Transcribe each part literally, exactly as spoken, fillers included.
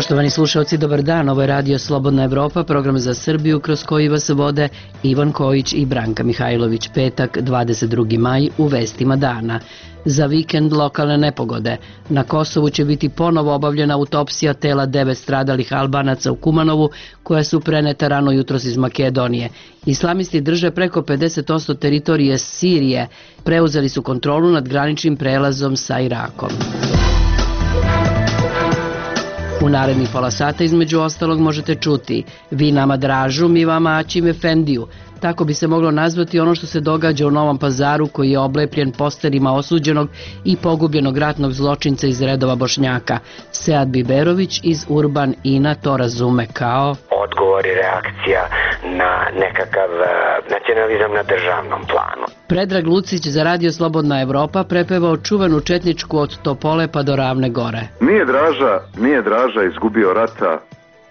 Poštovani slušalci, dobar dan. Ovo je Radio Slobodna Evropa, program za Srbiju kroz koji vas vode Ivan Kojić i Branka Mihajlović. Petak, dvadeset drugi maj, u vestima dana. Za vikend lokalne nepogode. Na Kosovu će biti ponovo obavljena autopsija tela devet stradalih Albanaca u Kumanovu, koja su preneta rano jutros iz Makedonije. Islamisti drže preko pedeset posto teritorije Sirije. Preuzeli su kontrolu nad graničnim prelazom sa Irakom. U narednih pola sata između ostalog možete čuti: vi nama Dražu, mi vama Aćim Efendiju. Tako bi se moglo nazvati ono što se događa u Novom Pazaru, koji je oblepljen posterima osuđenog i pogubljenog ratnog zločinca iz redova Bošnjaka. Sead Biberović iz Urban Ina to razume kao odgovor i reakcija na nekakav nacionalizam na državnom planu. Predrag Lucić za Radio Slobodna Evropa prepevao čuvenu četničku Od Topole pa do Ravne Gore. Nije Draža, nije Draža izgubio rata,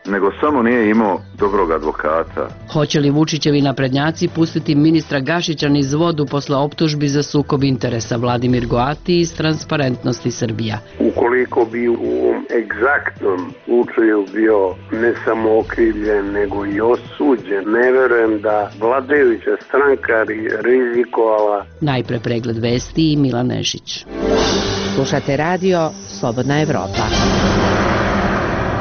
nego samo nije imao dobrog advokata. Hoće li Vučićevi naprednjaci pustiti ministra Gašića niz vodu posle optužbi za sukob interesa? Vladimir Goati iz Transparentnosti Srbija. Ukoliko bi u ovom egzaktnom slučaju bio ne samo okrivljen, nego i osuđen, ne verujem da vladajuća stranka rizikovala. Najpre pregled vesti i Milan Nešić. Slušate Radio Slobodna Evropa.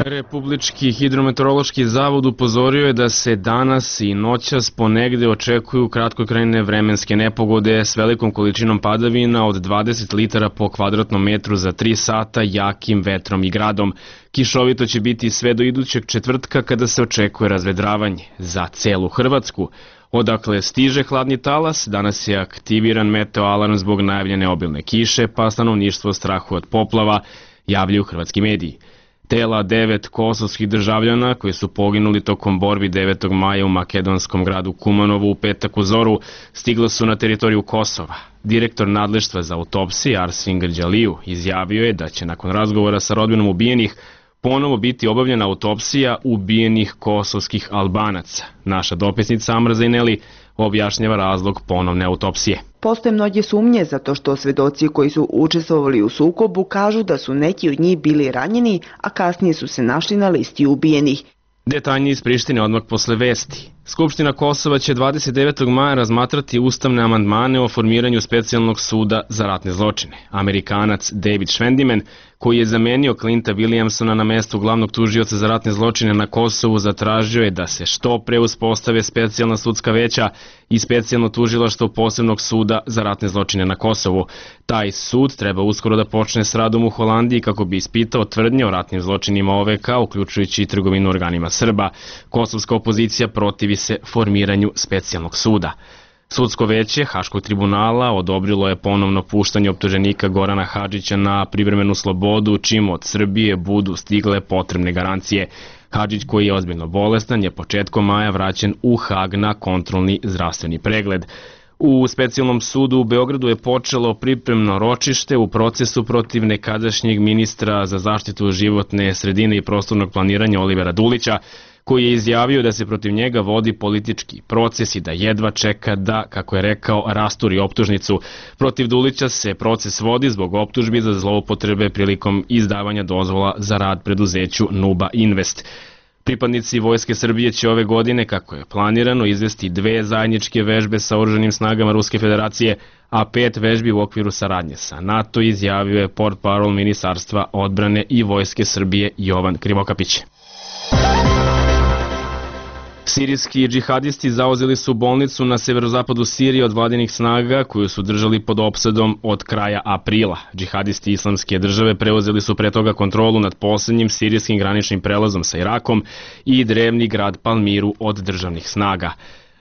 Republički hidrometeorološki zavod upozorio je da se danas i noćas ponegde očekuju kratkotrajne vremenske nepogode s velikom količinom padavina od dvadeset litara po kvadratnom metru za tri sata, jakim vetrom i gradom. Kišovito će biti sve do idućeg četvrtka, kada se očekuje razvedravanje za celu Hrvatsku. Odakle stiže hladni talas, danas je aktiviran meteo alarm zbog najavljene obilne kiše, pa stanovništvo strahuje od poplava, javljaju hrvatski mediji. Tela devet kosovskih državljana koji su poginuli tokom borbi devetog maja u makedonskom gradu Kumanovu u petak u zoru stigla su na teritoriju Kosova. Direktor nadleštva za autopsije Arsin Grđaliju izjavio je da će nakon razgovora sa rodbinom ubijenih ponovo biti obavljena autopsija ubijenih kosovskih Albanaca. Naša dopisnica Amra Zajneli objašnjava razlog ponovne autopsije. Postoje mnoge sumnje zato što svedoci koji su učestvovali u sukobu kažu da su neki od njih bili ranjeni, a kasnije su se našli na listi ubijenih. Detaljnije iz Prištine odmah posle vesti. Skupština Kosova će dvadeset devetog maja razmatrati ustavne amandmane o formiranju specijalnog suda za ratne zločine. Amerikanac David Schwendimen, koji je zamenio Clinta Williamsona na mestu glavnog tužioca za ratne zločine na Kosovu, zatražio je da se što pre uspostave specijalna sudska veća i specijalno tužilaštvo posebnog suda za ratne zločine na Kosovu. Taj sud treba uskoro da počne s radom u Holandiji kako bi ispitao tvrdnje o ratnim zločinima O V K, uključujući i trgovinu organima Srba. Kosovska opozicija protivi se formiranju specijalnog suda. Sudsko veće Haškog tribunala odobrilo je ponovno puštanje optuženika Gorana Hadžića na privremenu slobodu, čim od Srbije budu stigle potrebne garancije. Hadžić, koji je ozbiljno bolestan, je početkom maja vraćen u Hag na kontrolni zdravstveni pregled. U specijalnom sudu u Beogradu je počelo pripremno ročište u procesu protiv nekadašnjeg ministra za zaštitu životne sredine i prostornog planiranja Olivera Dulića, koji je izjavio da se protiv njega vodi politički proces i da jedva čeka da, kako je rekao, rasturi optužnicu. Protiv Dulića se proces vodi zbog optužbi za zloupotrebe prilikom izdavanja dozvola za rad preduzeću Nuba Invest. Pripadnici Vojske Srbije će ove godine, kako je planirano, izvesti dve zajedničke vežbe sa oružanim snagama Ruske federacije, a pet vežbi u okviru saradnje sa NATO, izjavio je portparol Ministarstva odbrane i Vojske Srbije Jovan Krivokapić. Sirijski džihadisti zauzeli su bolnicu na severozapadu Sirije od vladinih snaga koju su držali pod opsadom od kraja aprila. Džihadisti Islamske države preuzeli su pre toga kontrolu nad poslednjim sirijskim graničnim prelazom sa Irakom i drevni grad Palmiru od državnih snaga.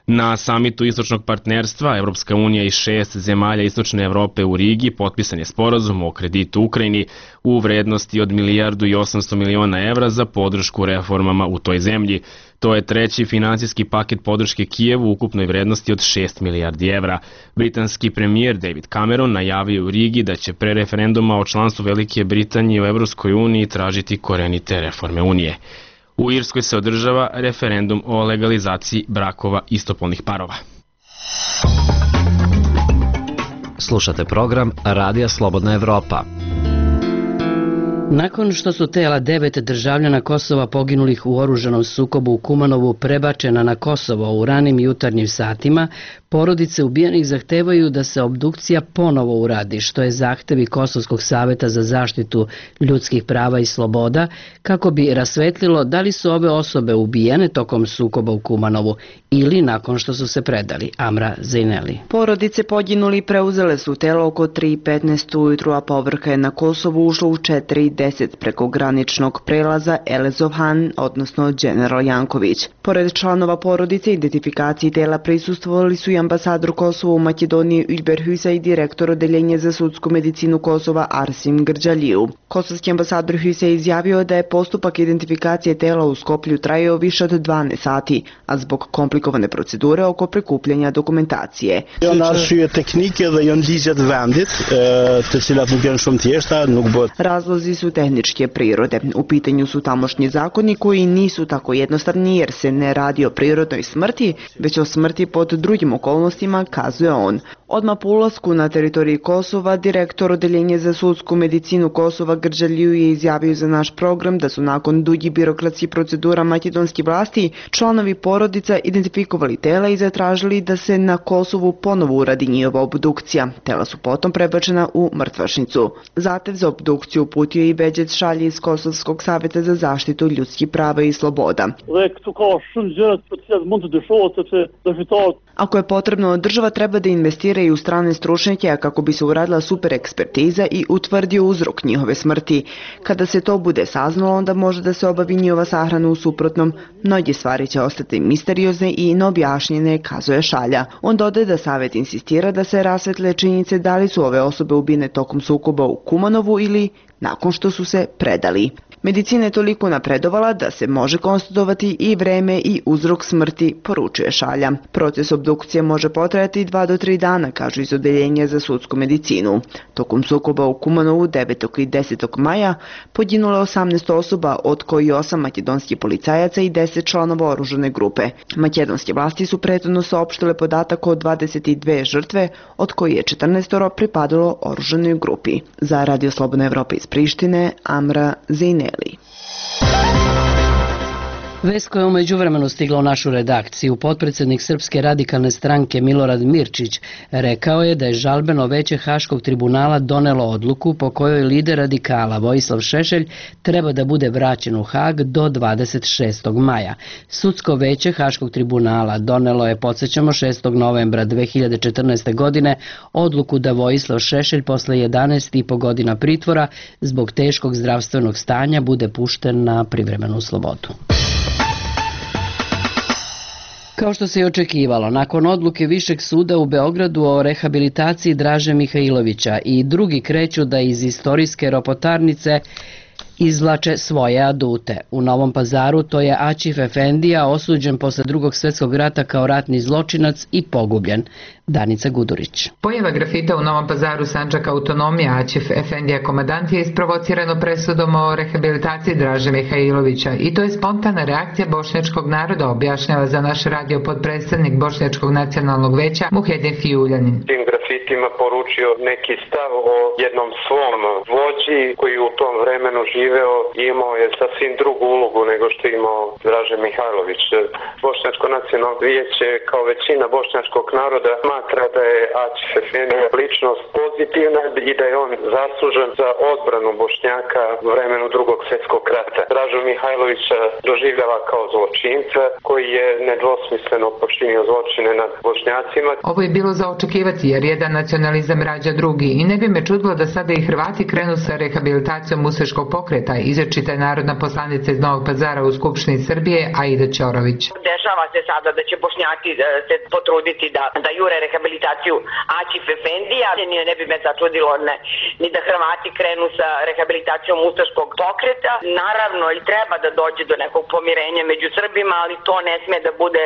Na samitu istočnog partnerstva Evropska unija i šest zemalja istočne Evrope u Rigi potpisan je sporazum o kreditu Ukrajini u vrednosti od milijardu i osamsto miliona evra za podršku reformama u toj zemlji. To je treći finansijski paket podrške Kijevu u ukupnoj vrednosti od šest milijardi evra. Britanski premijer David Cameron najavio u Rigi da će pre referenduma o članstvu Velike Britanije u Evropskoj uniji tražiti korenite reforme Unije. U Irskoj se održava referendum o legalizaciji brakova istopolnih parova. Slušate program Radija Slobodna Evropa. Nakon što su tela devet državljana Kosova poginulih u oružanom sukobu u Kumanovu prebačena na Kosovo u ranim jutarnjim satima, porodice ubijenih zahtevaju da se obdukcija ponovo uradi, što je zahtevi Kosovskog saveta za zaštitu ljudskih prava i sloboda, kako bi rasvetlilo da li su ove osobe ubijene tokom sukoba u Kumanovu ili nakon što su se predali. Amra Zejneli. Porodice poginuli preuzele su telo oko tri petnaest ujutru, a povrha je na Kosovu ušlo u četiri deset preko graničnog prelaza Elezovhan, odnosno General Janković. Pored članova porodice, identifikaciji tela prisustvovali su i ambasador Kosova u Makedoniji Ylber Hysa i direktor odeljenja za sudsku medicinu Kosova Arsim Grđaliju. Kosovski ambasador Hysa je izjavio da je postupak identifikacije tela u Skoplju trajao više od dvanaest sati, a zbog komplikovane procedure oko prikupljanja dokumentacije. Razlozi su tehničke prirode. U pitanju su tamošnji zakoni koji nisu tako jednostavni jer se ne radi o prirodnoj smrti, već o smrti pod drugim okolnostima, kazuje on. Odmah po ulasku na teritoriji Kosova, direktor odeljenja za sudsku medicinu Kosova Grđaliju je izjavio za naš program da su nakon dugih birokratskih procedura makedonskih vlasti članovi porodica identifikovali tela i zatražili da se na Kosovu ponovo uradi njihova obdukcija. Tela su potom prebačena u mrtvačnicu. Zahtev za obdukciju uputio i Beđet Šalji iz Kosovskog saveta za zaštitu ljudskih prava i sloboda. Ako je potrebno, država treba da investira i u strane stručnjake kako bi se uradila super ekspertiza i utvrdio uzrok njihove smrti. Kada se to bude saznalo, onda može da se obavi njihova sahrana, u suprotnom. Mnoge stvari će ostati misteriozne i neobjašnjene, kazuje Šalja. On dodaje da savet insistira da se rasvetle činjenice da li su ove osobe ubijene tokom sukoba u Kumanovu ili nakon što su se predali. Medicina je toliko napredovala da se može konstatovati i vreme i uzrok smrti, poručuje Šalja. Proces obdukcije može potrajati dva do tri dana, kažu iz odeljenja za sudsku medicinu. Tokom sukoba u Kumanovu devetog i desetog maja poginulo je osamnaest osoba, od koji osam makedonskih policajaca i deset članova oružane grupe. Makedonske vlasti su prethodno saopštile podatak o dvadeset dve žrtve, od koji je četrnaest pripadalo oružanoj grupi. Za Radio Slobodna Evropa iz Prištine, Amra Zejneli. Vest koja je u međuvremenu stigla u našu redakciju, potpredsednik Srpske radikalne stranke Milorad Mirčić rekao je da je žalbeno veće Haškog tribunala donelo odluku po kojoj lider radikala Vojislav Šešelj treba da bude vraćen u Hag do dvadeset šestog maja. Sudsko veće Haškog tribunala donelo je, podsjećamo, šestog novembra dve hiljade četrnaeste. godine odluku da Vojislav Šešelj posle jedanaest i po godina pritvora zbog teškog zdravstvenog stanja bude pušten na privremenu slobodu. Kao što se i očekivalo, nakon odluke Višeg suda u Beogradu o rehabilitaciji Draže Mihajlovića i drugi kreću da iz istorijske ropotarnice izvlače svoje adute. U Novom Pazaru to je Aćif Efendija, osuđen posle drugog svjetskog rata kao ratni zločinac i pogubljen. Danica Gudurić. Pojava grafita u Novom Pazaru Sandžaka autonomija Aćif Efendija komadant je isprovocirano presudom o rehabilitaciji Draže Mihajlovića i to je spontana reakcija bošnjačkog naroda, objašnjava za naš radio podpredstavnik Bošnjačkog nacionalnog veća Muhedin Fijuljanin. Tim grafitima poručio neki stav o jednom svom vođi koji u tom vremenu živeo i imao je sasvim drugu ulogu nego što je imao Draže Mihajlović. Bošnjačko nacionalno vijeće kao većina bošnjačkog naroda smatra da je Aćif Efendija ličnost pozitivna i da je on zaslužen za odbranu Bošnjaka u vremenu drugog svjetskog rata. Dražu Mihajlovića doživljava kao zločinca koji je nedvosmisleno počinio zločine nad Bošnjacima. Ovo je bilo za očekivati jer jedan nacionalizam rađa drugi i ne bi me čudilo da sada i Hrvati krenu sa rehabilitacijom ustaškog pokreta, izrečita je narodna poslanica iz Novog Pazara u Skupštini Srbije Aida Ćorović. Dešava se sada da će Bošnjaci se potruditi da, da jure rehabilitaciju Aćif Efendija. Ne bi me začudilo ne, ni da Hrvati krenu sa rehabilitacijom ustaškog pokreta. Naravno i treba da dođe do nekog pomirenja među Srbima, ali to ne sme da bude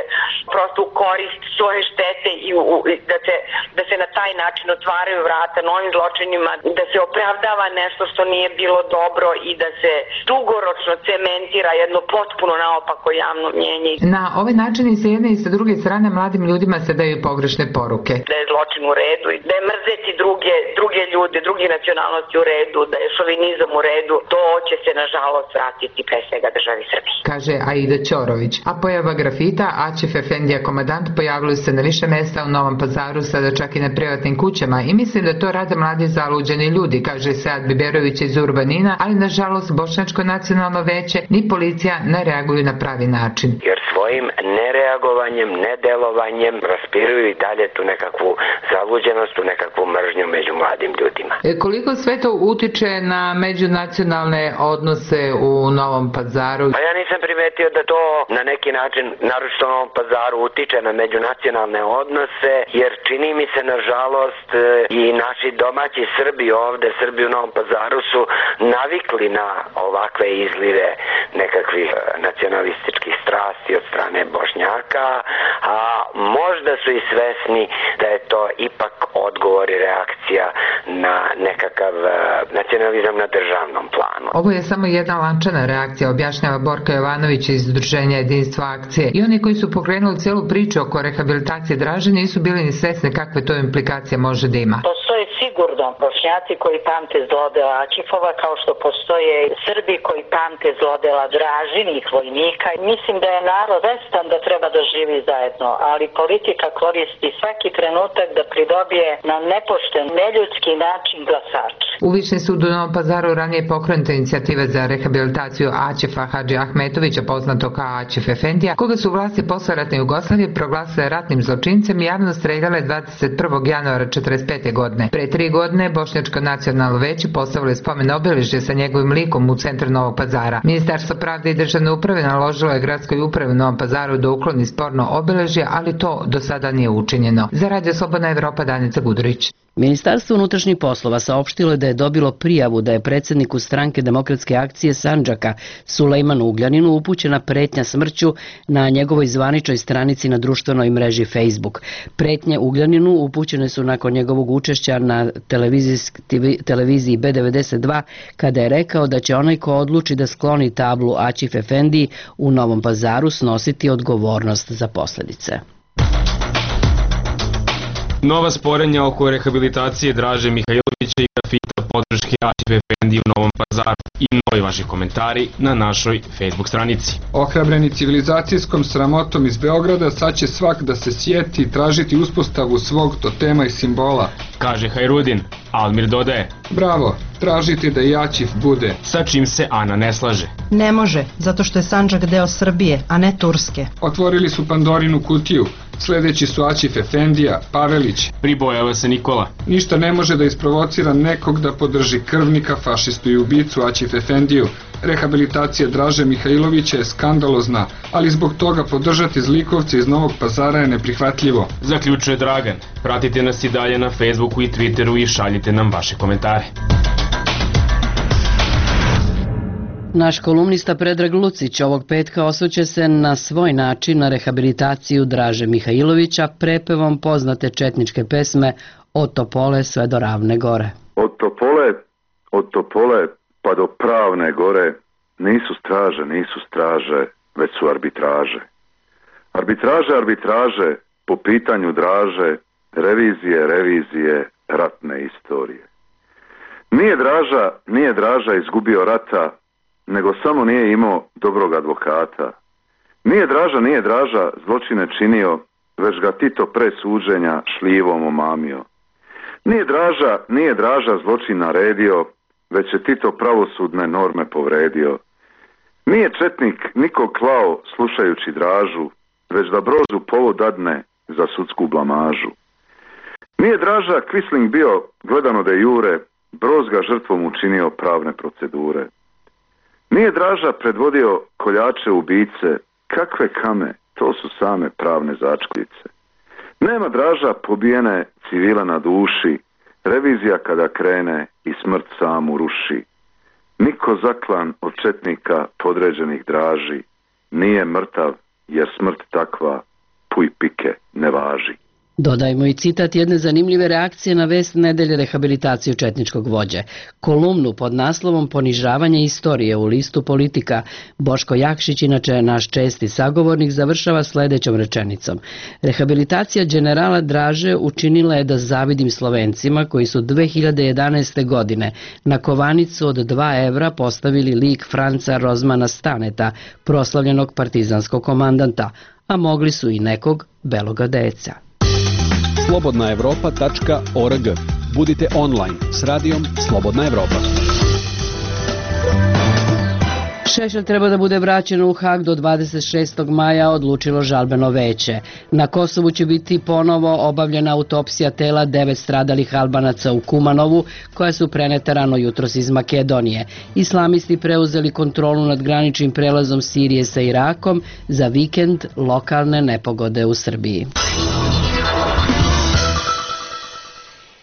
prosto u korist svoje štete i u, da, se, da se na taj način otvaraju vrata novim zločinima, da se opravdava nešto što nije bilo dobro i da se dugoročno cementira jedno potpuno naopako javno mnjenje. Na ovaj ovaj način i sa jedne i sa druge strane mladim ljudima se daju pogrešne poruke. Da je zločin u redu, da je mrzeti druge, druge ljude, druge nacionalnosti u redu, da je šovinizam u redu, to će se nažalost vratiti pre svega državi Srbiji. Kaže Aida Ćorović. A pojava grafita Aćif Efendija Komadant pojavili se na više mesta u Novom Pazaru, sada čak i na privatnim kućama, i mislim da to rade mladi zaluđeni ljudi, kaže Sead Biberović iz Urbanina, ali nažalost Bošnjačko nacionalno veće ni policija ne reaguju na pravi način. Jer svojim nereagovanjem, nedelovanjem raspiruju i dalje tu nekakvu zaluđenost, tu nekakvu mržnju među mladim ljudima. E, koliko sve to utiče na međunacionalne odnose u Novom Pazaru? Pa ja nisam primetio da to na neki način, naročito u Novom Pazaru, utiče na međunacionalne odnose, jer čini mi se nažalost i naši domaći Srbi ovde, Srbi u Novom Pazaru su navikli na ovakve izlive nekakvih nacionalističkih strasti od strane Bošnjaka, a možda su i svesni da je to ipak odgovor i reakcija na nekakav nacionalizam na državnom planu. Ovo je samo jedna lančana reakcija, objašnjava Borka Jovanović iz Udruženja Jedinstva akcije. I oni koji su pokrenuli celu priču oko rehabilitacije Draže nisu bili ni svesni kakve to implikacije može da ima. Postoje sigurno Bošnjaci koji pamte zlodela Aćifova, kao što postoje Srbi koji pamte zlodela Dražinih vojnika. Mislim da je narod svestan da treba da živi zajedno, ali politika koristi svaki trenutak da pridobije na nepošten, neljudski način glasač. U Višni sud u Novom Pazaru ranije pokrenuta inicijativa za rehabilitaciju Aćifa Hadži Ahmetovića, poznato kao Aćif Efendija, koga su vlasti posleratne Jugoslavije proglasile ratnim zločincem i javno streljale dvadeset prvog januara četrdeset pete. godine. Pre tri godine Bošnjačko nacionalno veće postavili spomen obeležje sa njegovim likom u centru Novog Pazara. Ministarstvo pravde i državne uprave naložilo je gradskoj upravi u Novom Pazaru da ukloni sporno obeležje, ali to do sada nije učinjeno. Za Radio Slobodna Evropa, Danica Gudurić. Ministarstvo unutrašnjih poslova saopštilo je da je dobilo prijavu da je predsjedniku stranke Demokratske akcije Sandžaka Sulejmanu Ugljaninu upućena pretnja smrću na njegovoj zvaničnoj stranici na društvenoj mreži Facebook. Pretnje Ugljaninu upućene su nakon njegovog učešća na televiziji B devedeset dva, kada je rekao da će onaj ko odluči da skloni tablu Aćif Efendiji u Novom Pazaru snositi odgovornost za posljedice. Nova sporenja oko rehabilitacije Draže Mihajlovića i grafita podrške Aćif Efendiji u Novom Pazaru i novi vaši komentari na našoj Facebook stranici. Ohrabreni civilizacijskom sramotom iz Beograda, sad će svak da se sjeti i tražiti uspostavu svog totema i simbola. Kaže Hajrudin, Almir dodaje: bravo, tražite da i Aćif bude. Sa čim se Ana ne slaže. Ne može, zato što je Sandžak deo Srbije, a ne Turske. Otvorili su Pandorinu kutiju. Sljedeći su Aćif Efendija, Pavelić. Pribojava se Nikola. Ništa ne može da isprovocira nekog da podrži krvnika, fašistu i ubicu Aćif Efendiju. Rehabilitacija Draže Mihajlovića je skandalozna, ali zbog toga podržati zlikovce iz Novog Pazara je neprihvatljivo. Zaključuje Dragan. Pratite nas i dalje na Facebooku i Twitteru i šaljite nam vaše komentare. Naš kolumnista Predrag Lucić ovog petka osvrće se na svoj način na rehabilitaciju Draže Mihajlovića prepevom poznate četničke pesme Od Topole sve do Ravne gore. Od Topole, od Topole pa do Pravne gore nisu straže, nisu straže, već su arbitraže. Arbitraže, arbitraže po pitanju Draže, revizije, revizije, ratne istorije. Nije Draža, nije Draža izgubio rata, nego samo nije imao dobrog advokata. Nije Draža, nije Draža zločine činio, već ga Tito pre suđenja šljivom omamio. Nije Draža, nije Draža zločin naredio, već je Tito pravosudne norme povredio. Nije četnik niko klao slušajući Dražu, već da Brozu povod dadne za sudsku blamažu. Nije Draža Quisling bio gledano de jure, Broz ga žrtvom učinio pravne procedure. Nije Draža predvodio koljače ubice, kakve kame, to su same pravne začkoljice. Nema Draža pobijene civila na duši, revizija kada krene i smrt samu ruši. Niko zaklan od četnika podređenih Draži, nije mrtav jer smrt takva puj pike ne važi. Dodajmo i citat jedne zanimljive reakcije na vest nedelje rehabilitaciju četničkog vođe. Kolumnu pod naslovom Ponižavanje istorije u listu Politika Boško Jakšić, inače naš česti sagovornik, završava sledećom rečenicom. Rehabilitacija generala Draže učinila je da zavidim Slovencima koji su dve hiljade jedanaeste. godine na kovanicu od dva evra postavili lik Franca Rozmana Staneta, proslavljenog partizanskog komandanta, a mogli su i nekog beloga deca. slobodna evropa tačka org. Budite online s radijom Slobodna Evropa. Šešelj treba da bude vraćen u Hag do dvadeset šestog maja, odlučilo žalbeno veće. Na Kosovu će biti ponovo obavljena autopsija tela devet stradalih Albanaca u Kumanovu, koja su preneta rano jutros iz Makedonije. Islamisti preuzeli kontrolu nad graničnim prelazom Sirije sa Irakom, za vikend lokalne nepogode u Srbiji.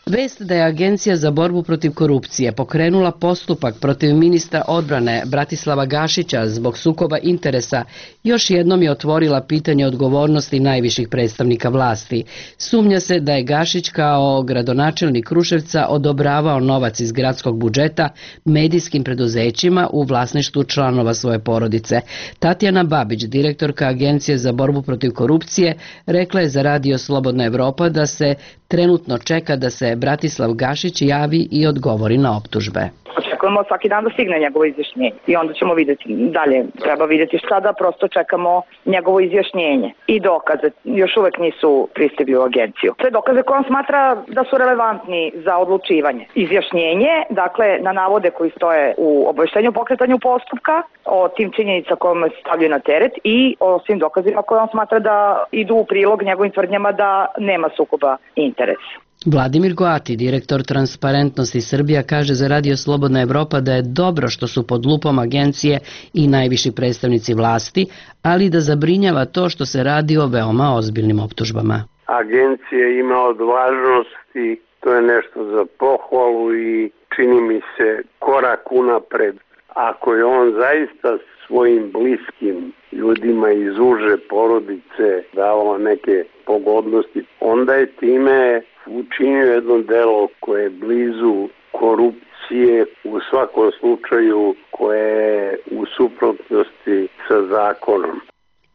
Vest da je Agencija za borbu protiv korupcije pokrenula postupak protiv ministra odbrane Bratislava Gašića zbog sukoba interesa još jednom je otvorila pitanje odgovornosti najviših predstavnika vlasti. Sumnja se da je Gašić kao gradonačelnik Kruševca odobravao novac iz gradskog budžeta medijskim preduzećima u vlasništvu članova svoje porodice. Tatjana Babić, direktorka Agencije za borbu protiv korupcije, rekla je za Radio Slobodna Evropa da se trenutno čeka da se Bratislav Gašić javi i odgovori na optužbe. Očekujemo svaki dan da stigne njegovo izjašnjenje i onda ćemo vidjeti dalje. Treba vidjeti šta da prosto čekamo njegovo izjašnjenje i dokaze. Još uvek nisu pristigli u agenciju. Sve dokaze koje on smatra da su relevantni za odlučivanje. Izjašnjenje, dakle, na navode koji stoje u obaveštenju o pokretanju postupka, o tim činjenica kojima se stavljaju na teret i o svim dokazima koje on smatra da idu u prilog njegovim tvrdnjama da nema sukoba interesa. Vladimir Goati, direktor Transparentnosti Srbija, kaže za Radio Slobodna Evropa da je dobro što su pod lupom agencije i najviši predstavnici vlasti, ali da zabrinjava to što se radi o veoma ozbiljnim optužbama. Agencija ima odvažnosti, to je nešto za pohvalu i čini mi se korak unapred. Ako je on zaista svojim bliskim ljudima iz uže porodice davao neke pogodnosti, onda je time učinio jedno delo koje je blizu korupcije, u svakom slučaju koje je u suprotnosti sa zakonom.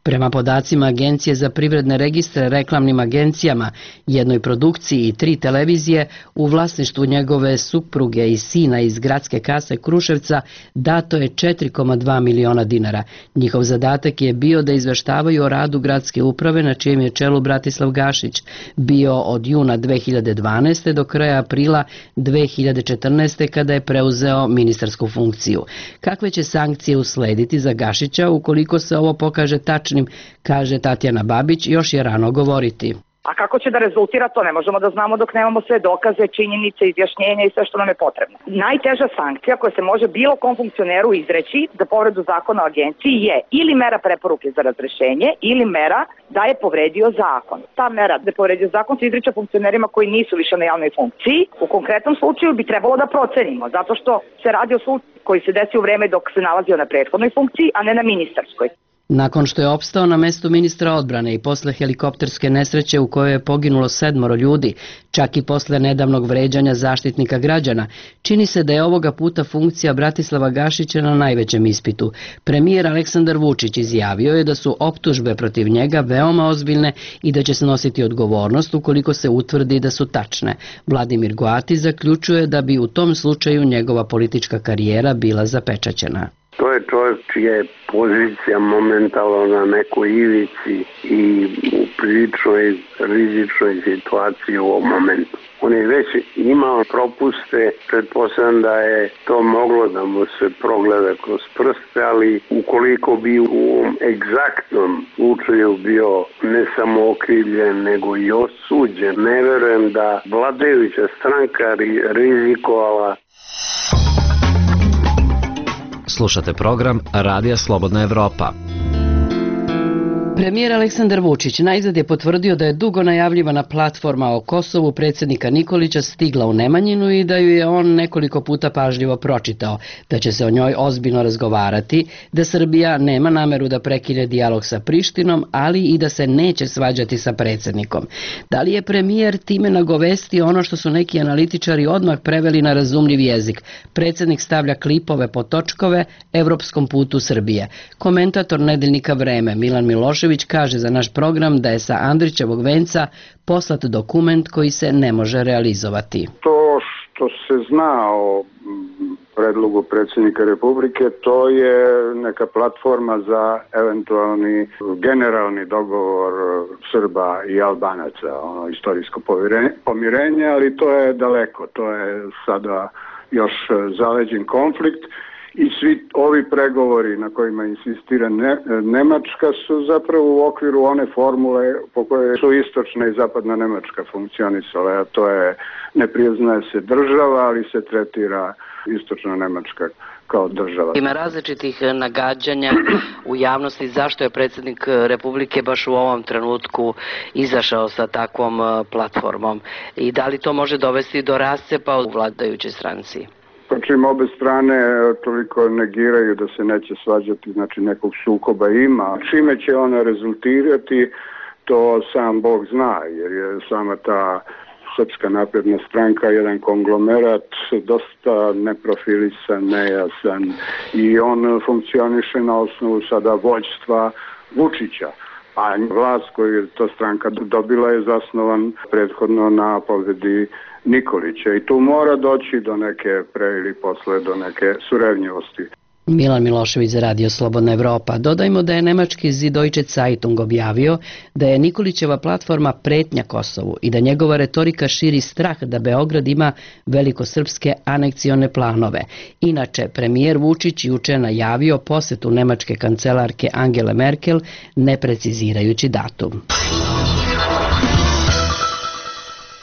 Prema podacima Agencije za privredne registre reklamnim agencijama, jednoj produkciji i tri televizije, u vlasništvu njegove supruge i sina iz gradske kase Kruševca dato je četiri zarez dva miliona dinara. Njihov zadatak je bio da izveštavaju o radu gradske uprave na čijem je čelu Bratislav Gašić bio od juna dve hiljade dvanaeste. do kraja aprila dve hiljade četrnaeste. kada je preuzeo ministarsku funkciju. Kakve će sankcije uslediti za Gašića ukoliko se ovo pokaže tačno, kaže Tatjana Babić, još je rano govoriti. A kako će da rezultira, to ne možemo da znamo dok nemamo sve dokaze, činjenice, izjašnjenja i sve što nam je potrebno. Najteža sankcija koja se može bilo kom funkcioneru izreći za povredu zakona o agenciji je ili mera preporuke za razrešenje ili mera da je povredio zakon. Ta mera da je povredio zakon se izriče funkcionerima koji nisu više na javnoj funkciji. U konkretnom slučaju bi trebalo da procenimo, zato što se radi o slučaju koji se desi u vreme dok se nalazio na prethodnoj funkciji, a ne na ministarskoj. Nakon što je opstao na mestu ministra odbrane i posle helikopterske nesreće u kojoj je poginulo sedmoro ljudi, čak i posle nedavnog vređanja zaštitnika građana, čini se da je ovoga puta funkcija Bratislava Gašića na najvećem ispitu. Premijer Aleksandar Vučić izjavio je da su optužbe protiv njega veoma ozbiljne i da će snositi odgovornost ukoliko se utvrdi da su tačne. Vladimir Goati zaključuje da bi u tom slučaju njegova politička karijera bila zapečaćena. To je čovjek čija je pozicija momentalno na nekoj ivici i u priličnoj rizičnoj situaciji u ovom momentu. On je već imao propuste, pretpostavljam da je to moglo da mu se progleda kroz prste, ali ukoliko bi u ovom egzaktnom slučaju bio ne samo okrivljen, nego i osuđen, ne verujem da vladajuća stranka rizikovala. Slušate program Radija Slobodna Evropa. Premijer Aleksandar Vučić najzad je potvrdio da je dugo najavljivana platforma o Kosovu predsjednika Nikolića stigla u Nemanjinu i da ju je on nekoliko puta pažljivo pročitao, da će se o njoj ozbiljno razgovarati, da Srbija nema nameru da prekine dijalog sa Prištinom, ali i da se neće svađati sa predsjednikom. Da li je premijer time nagovestio ono što su neki analitičari odmah preveli na razumljiv jezik? Predsjednik stavlja klipove po točkove evropskom putu Srbije. Komentator nedeljnika Vreme Milan Milošević kaže za naš program da je sa Andrićevog venca poslat dokument koji se ne može realizovati. To što se zna o predlogu predsjednika Republike, to je neka platforma za eventualni generalni dogovor Srba i Albanaca, ono istorijsko pomirenje, ali to je daleko, to je sada još zaleđen konflikt. I svi ovi pregovori na kojima insistira ne, Nemačka su zapravo u okviru one formule po kojoj su istočna i zapadna Nemačka funkcionisale, a to je ne priznaje se država, ali se tretira istočna Nemačka kao država. Ima različitih nagađanja u javnosti zašto je predsjednik Republike baš u ovom trenutku izašao sa takvom platformom i da li to može dovesti do rascepa u vladajućoj stranci? Čim obe strane toliko negiraju da se neće svađati, znači nekog sukoba ima. Čime će ona rezultirati, to sam Bog zna, jer je sama ta Srpska napredna stranka jedan konglomerat, dosta neprofilisan, nejasan i on funkcioniše na osnovu sada vođstva Vučića. A vlast koju je ta stranka dobila je zasnovan prethodno na pobedi Nikolića i tu mora doći do neke pre ili posle do neke surevnjivosti. Milan Milošević za Radio Slobodna Evropa. Dodajmo da je nemački Süddeutsche Zeitung objavio da je Nikolićeva platforma pretnja Kosovu i da njegova retorika širi strah da Beograd ima velikosrpske anekcione planove. Inače, premijer Vučić juče najavio posetu nemačke kancelarke Angele Merkel, ne precizirajući datum.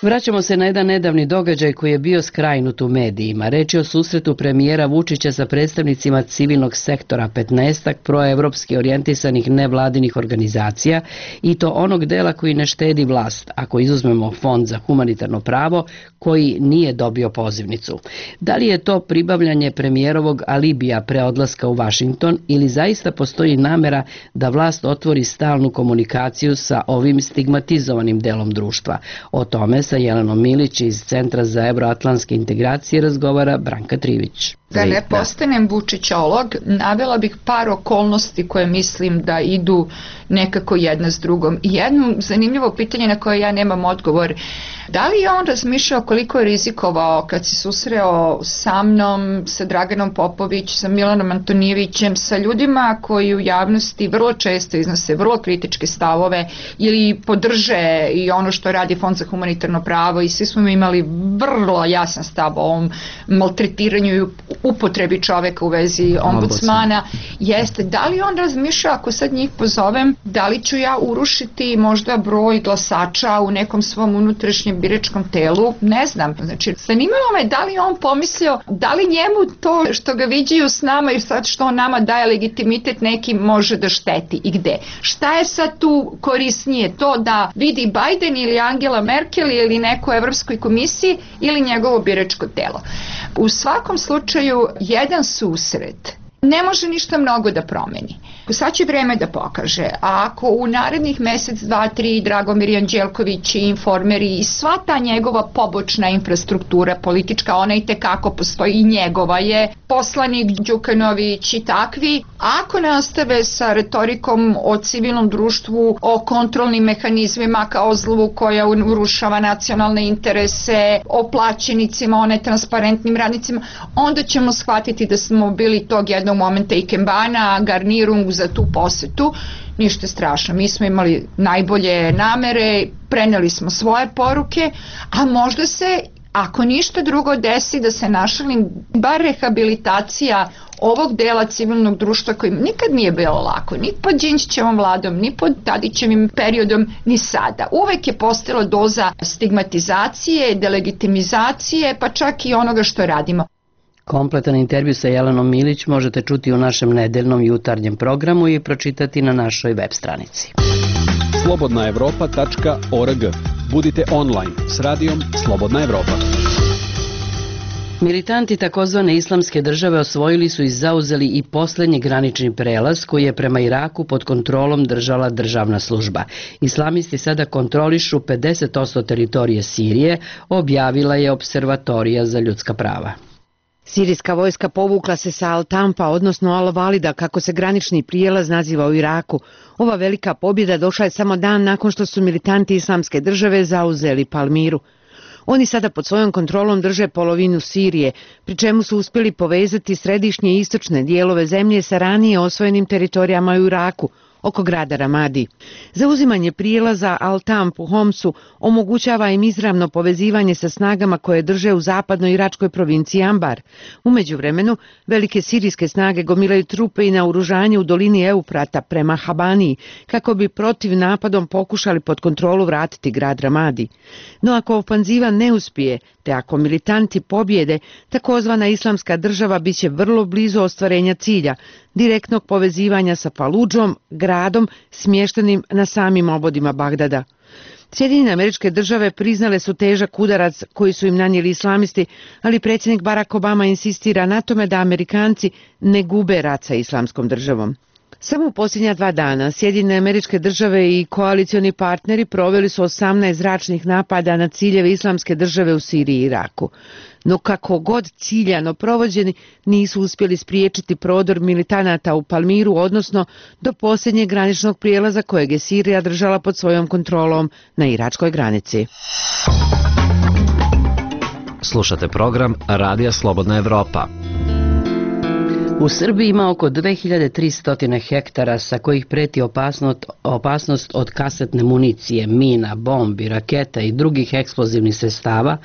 Vraćamo se na jedan nedavni događaj koji je bio skrajnut u medijima. Reč je o susretu premijera Vučića sa predstavnicima civilnog sektora, petnaestak proevropski orijentisanih nevladinih organizacija i to onog dela koji ne štedi vlast, ako izuzmemo Fond za humanitarno pravo koji nije dobio pozivnicu. Da li je to pribavljanje premijerovog alibija pre odlaska u Vašington ili zaista postoji namera da vlast otvori stalnu komunikaciju sa ovim stigmatizovanim delom društva? O tome sa Jelenom Milić iz Centra za evroatlantske integracije razgovara Branka Trivić. Da ne postanem Vučićolog, navela bih par okolnosti koje mislim da idu nekako jedna s drugom. Jedno zanimljivo pitanje na koje ja nemam odgovor. Da li je on razmišljao koliko je rizikovao kad se susreo sa mnom, sa Draganom Popović, sa Milanom Antonijevićem, sa ljudima koji u javnosti vrlo često iznose vrlo kritičke stavove ili podrže i ono što radi Fond za humanitarno pravo i svi smo imali vrlo jasan stav o ovom maltretiranju i upotrebi čoveka u vezi ombudsmana, jeste da li on razmišlja ako sad njih pozovem, da li ću ja urušiti možda broj glasača u nekom svom unutrašnjem biračkom telu, ne znam, znači zanimalo me da li on pomislio, da li njemu to što ga viđaju s nama i sad što on nama daje legitimitet neki može da šteti i gde. Šta je sad tu korisnije, to da vidi Biden ili Angela Merkel ili neko u Evropskoj komisiji ili njegovo biračko telo. U svakom slučaju jedan susret ne može ništa mnogo da promeni. Sad će vreme da pokaže, a ako u narednih mesec, dva, tri Dragomir Anđelković i Informeri i sva ta njegova pobočna infrastruktura politička, ona i tekako postoji i njegova je, poslanik Đukanović i takvi, ako nastave sa retorikom o civilnom društvu, o kontrolnim mehanizmima kao zlu koja urušava nacionalne interese, o plaćenicima, o netransparentnim radnicima, onda ćemo shvatiti da smo bili tog jednog momenta i kembana, garnirung za tu posetu. Ništa strašno, mi smo imali najbolje namere, preneli smo svoje poruke, a možda se, ako ništa drugo desi, da se našalim, bar rehabilitacija ovog dela civilnog društva koji nikad nije bilo lako, ni pod Đinđićevom vladom, ni pod Tadićevim periodom, ni sada. Uvek je postojala doza stigmatizacije, delegitimizacije, pa čak i onoga što radimo. Kompletan intervju sa Jelenom Milić možete čuti u našem nedeljnom jutarnjem programu i pročitati na našoj web stranici. slobodna evropa tačka org. Budite online s radijom Slobodna Evropa. Militanti takozvane islamske države osvojili su i zauzeli i posljednji granični prelaz koji je prema Iraku pod kontrolom držala državna služba. Islamisti sada kontrolišu pedeset posto teritorije Sirije, objavila je Observatorija za ljudska prava. Sirijska vojska povukla se sa Al-Tampa, odnosno Al-Valida, kako se granični prijelaz naziva u Iraku. Ova velika pobjeda došla je samo dan nakon što su militanti islamske države zauzeli Palmiru. Oni sada pod svojom kontrolom drže polovinu Sirije, pri čemu su uspjeli povezati središnje i istočne dijelove zemlje sa ranije osvojenim teritorijama u Iraku, oko grada Ramadi. Zauzimanje prijelaza Al-Tamp u Homsu omogućava im izravno povezivanje sa snagama koje drže u zapadnoj iračkoj provinciji Ambar. U međuvremenu, velike sirijske snage gomilaju trupe i naoružanje u dolini Eufrata prema Habaniji, kako bi protiv napadom pokušali pod kontrolu vratiti grad Ramadi. No ako ofanziva ne uspije, te ako militanti pobjede, takozvana islamska država bit će vrlo blizu ostvarenja cilja, direktnog povezivanja sa Faludžom, gradom smještenim na samim obodima Bagdada. Sjedinjene Američke Države priznale su težak udarac koji su im nanijeli islamisti, ali predsjednik Barack Obama insistira na tome da Amerikanci ne gube rat sa islamskom državom. Samo u posljednja dva dana Sjedinjene Američke Države i koalicioni partneri proveli su osamnaest zračnih napada na ciljeve islamske države u Siriji i Iraku. No kako god ciljano provođeni, nisu uspjeli spriječiti prodor militanata u Palmiru, odnosno do posljednjeg graničnog prijelaza kojeg je Sirija držala pod svojom kontrolom na iračkoj granici. Slušate program Radija Slobodna Evropa. U Srbiji ima oko dve hiljade tristo hektara sa kojih preti opasnost, opasnost od kasetne municije, mina, bombi, raketa i drugih eksplozivnih sredstava,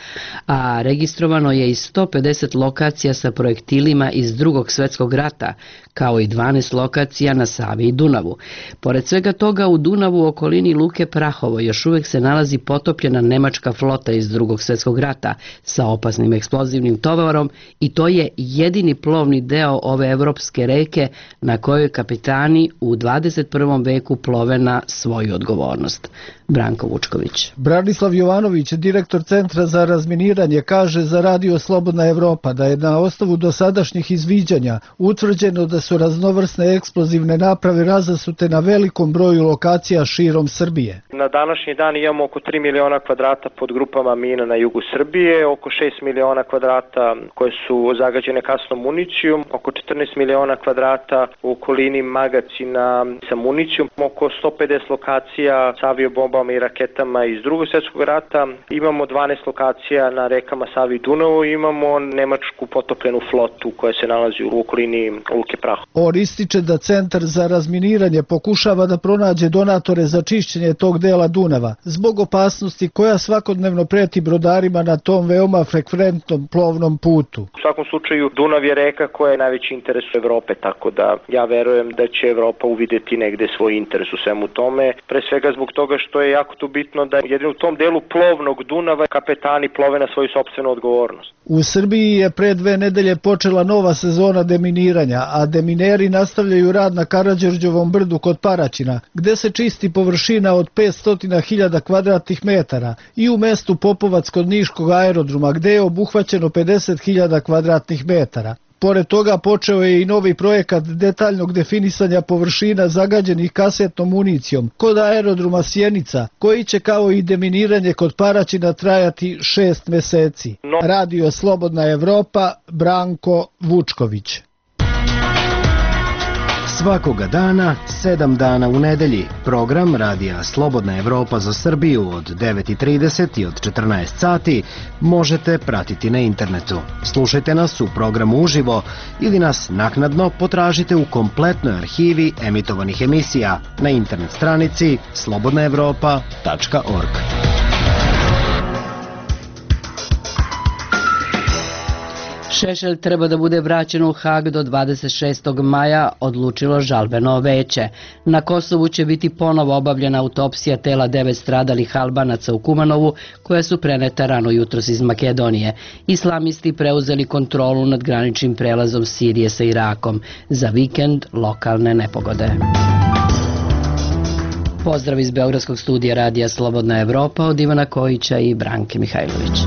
a registrovano je i sto pedeset lokacija sa projektilima iz Drugog svjetskog rata, kao i dvanaest lokacija na Savi i Dunavu. Pored svega toga, u Dunavu u okolini Luke Prahovo još uvijek se nalazi potopljena nemačka flota iz Drugog svjetskog rata sa opasnim eksplozivnim tovarom i to je jedini plovni deo ove evropske reke na kojoj kapitani u dvadeset prvom veku plove na svoju odgovornost. Branko Vučković. Branislav Jovanović, direktor Centra za razminiranje, kaže za Radio Slobodna Evropa da je na osnovu dosadašnjih izviđanja utvrđeno da su raznovrsne eksplozivne naprave razasute na velikom broju lokacija širom Srbije. Na današnji dan imamo oko tri miliona kvadrata pod grupama mina na jugu Srbije, oko šest miliona kvadrata koje su zagađene kasnom municijom, oko četrnaest miliona kvadrata u okolini magacina sa municijom, oko sto pedeset lokacija sa aviobombama i raketama iz Drugog svjetskog rata, imamo dvanaest lokacija na rekama Savi i Dunavu, imamo nemačku potopljenu flotu koja se nalazi u okolini Luke Prahovo. On ističe da Centar za razminiranje pokušava da pronađe donatore za čišćenje tog dela Dunava, zbog opasnosti koja svakodnevno preti brodarima na tom veoma frekventnom plovnom putu. U svakom slučaju Dunav je reka koja je najveći interes u Evrope, tako da ja verujem da će Evropa uvideti negde svoj interes u svemu tome, pre svega zbog toga što je jako tu bitno da jedino u tom delu plovnog Dunava kapetani plove na svoju sopstvenu odgovornost. U Srbiji je pre dve nedelje počela nova sezona deminiranja, a demineri nastavljaju rad na Karađorđevom brdu kod Paraćina, gde se čisti površina od petsto hiljada kvadratnih metara, i u mestu Popovac kod Niškog aerodroma, gde je obuhvaćeno pedeset hiljada kvadratnih metara. Pored toga počeo je i novi projekat detaljnog definisanja površina zagađenih kasetnom municijom kod aerodroma Sjenica, koji će kao i deminiranje kod Paraćina trajati šest meseci. Radio Slobodna Evropa, Branko Vučković. Svakoga dana, sedam dana u nedelji, program Radija Slobodna Evropa za Srbiju od devet i trideset i od četrnaest sati možete pratiti na internetu. Slušajte nas u programu uživo ili nas naknadno potražite u kompletnoj arhivi emitovanih emisija na internet stranici slobodna evropa tačka org. Šešelj treba da bude vraćen u Hag do dvadeset šestog maja, odlučilo žalbeno veće. Na Kosovu će biti ponovo obavljena autopsija tela devet stradalih Albanaca u Kumanovu, koja su preneta rano jutros iz Makedonije. Islamisti preuzeli kontrolu nad graničnim prelazom Sirije sa Irakom. Za vikend lokalne nepogode. Pozdrav iz Beogradskog studija radija Slobodna Evropa od Ivana Kojića i Branke Mihajlović.